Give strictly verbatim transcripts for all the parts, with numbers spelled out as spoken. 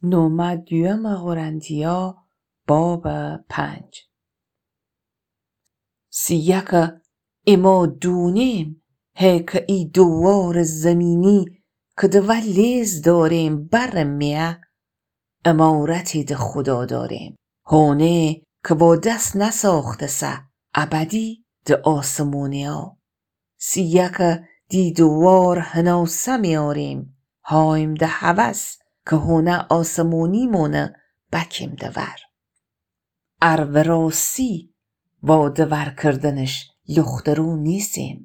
نومه دویمٚ قرنتیا بابٚ پنج. سی‌یکه ایما دونیم، هی کی ای دووارٚ زیمینی کی د وأ لیز دأریم برٚ میأ، امارتی د خودا دأریم، هونی کی وا دس نساخته‌سه، ابدی د آسمونیا. سی‌یکه دی دووار هناسه میأریم، هایم د هوس کی هونه آسمونیمونٚ بکیم د ور. ار وراسی وا د ور کردنش لخترو نیسیم.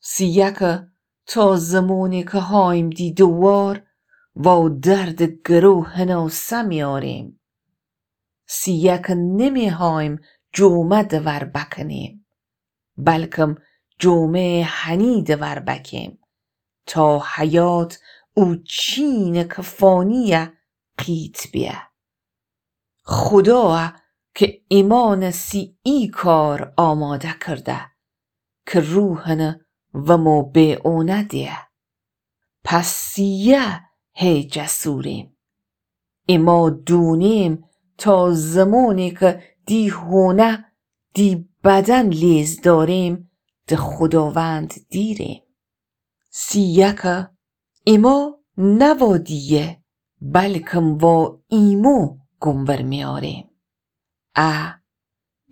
سی‌یکه تا زمانی کی هایم دی دووار، وا دردٚ گرو هناسه میأریم. سی‌یکه نمی‌هایم جومه د ور بکنیم، بلکم جومه هنی د ور بکیم، تا حیات او چینی کی فانییه قیت بیه. خودایه کی ایمأنٚ سی ای کار آماده کرده، کی روحٚنٚ ومو به اونه دیه. پس سیه هی جسوریم. ایما دونیم تا زمانی کی دی هونه، دی بدن لیز دأریم، د خوداوند دیریم. سی‌یکه ایما نه وا دیه، بلکم وا ایمو گومور میأریم. ا،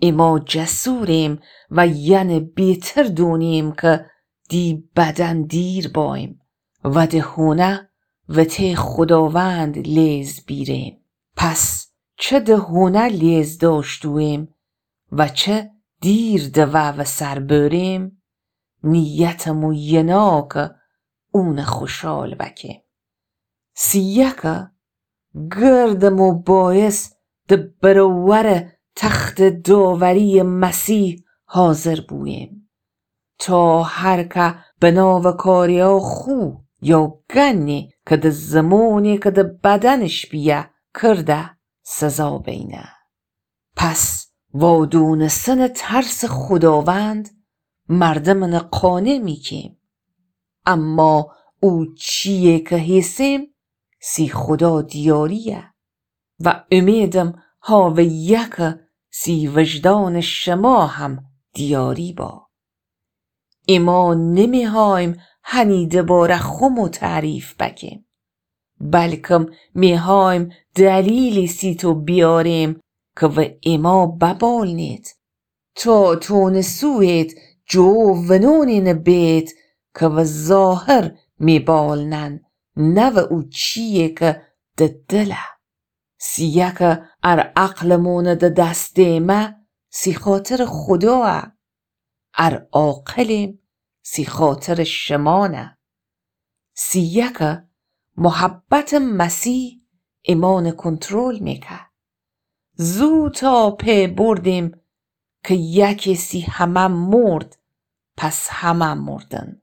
ایما جسوریم و یأنی بیتر دونیم کی دی بدن دیر بأییم و د هونه وطی خوداوند لیز بیریم. پس چه د هونه لیز دأشتوییم و چه دیر د وأ وسر بأریم، نیتٚ مو ینا کی اونٚ خوشحال بکیم. سی‌یکه گردٚ مو بأیس د برأورٚ تختٚ داورییٚ مسیح حاضر بوییم، تا هر که بناوٚ کاریا خو یا گنی کی د زمانی کی د بدنش بیه کرده سزا بینه. پس وا دونستنٚ ترسٚ خوداوند مردمأنٚ قانع میکیم. اما او چییی کی هیسیم، سی خودا دیارییه و امیدم هاوییه کی سی وجدانٚ شما هم دیاری با. ایما نمی‌هایم هنی دباره خومو تعریف بکیم، بلکم می‌هایم دلیلی سی تو بیاریم کی و ایما ببالنید، تا تونسویید جو ونونینی بید کی و ظاهر می‌بالنن، نه و او چییی کی د دله. سی‌یکه ار عقلٚمون د دس دیمه، سی خاطرٚ خودایه. ار عاقلیم، سی خاطرٚ شمانه. سی‌یکه محبتٚ مسیح ایمأن کنترل میکه. زو تا پی بردیم کی یکی سی همه مرد، پس همه مردن.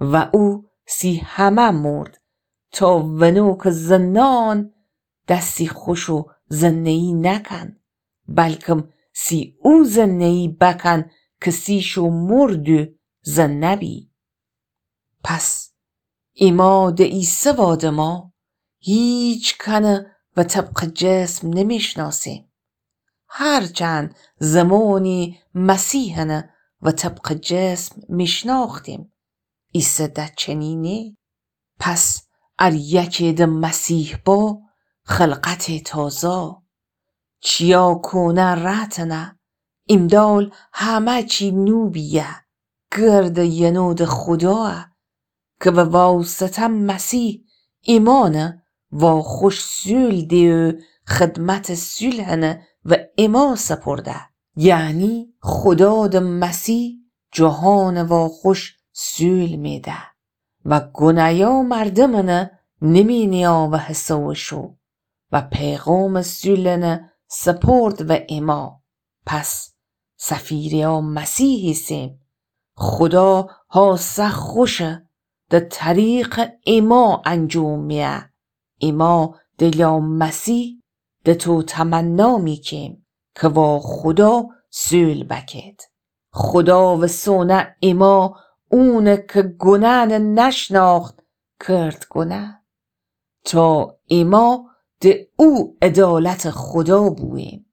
و او سی همه مرد، تا ونو کی زنان دسی خوشو زنه‌یی نکن، بلکم سی او زنه‌یی بکن کی سی شو مردو زنه بی. پس ایما د ایسه وادما هیچ کنه و طبقٚ جسم نمیشناسیم. هرچند زمانی مسیحنه و طبقٚ جسم میشناختیم، ایسه د چنینه. پس ار یکی د مسیح با، خلقتٚ تازه. چیا کونه رأتنه، ایمدال همه چی نو بیه. گرد ینو د خودایه کی و واسطه مسیح ایمأنه واخوش صولح دیو خدمتٚ صولحنه و ایما سپرده. یعنی خودا د مسیح جهانٚ واخوش صولح میده و گونایا مردمٚنه نمینیا و حساوشو و پیغامٚ صولحنه سپرد و ایما. پس سفیریا مسیح ایسیم. خودا هاسه خوشه د طریقٚ ایما انجام میه. ایما دلا مسیح د تو تمنا میکیم کی وا خودا صولح بکید. خودا و سونه ایما اونه کی گونهنه نشناخت کرد گونه، تا ایما د او عدالتٚ خدا بوییم.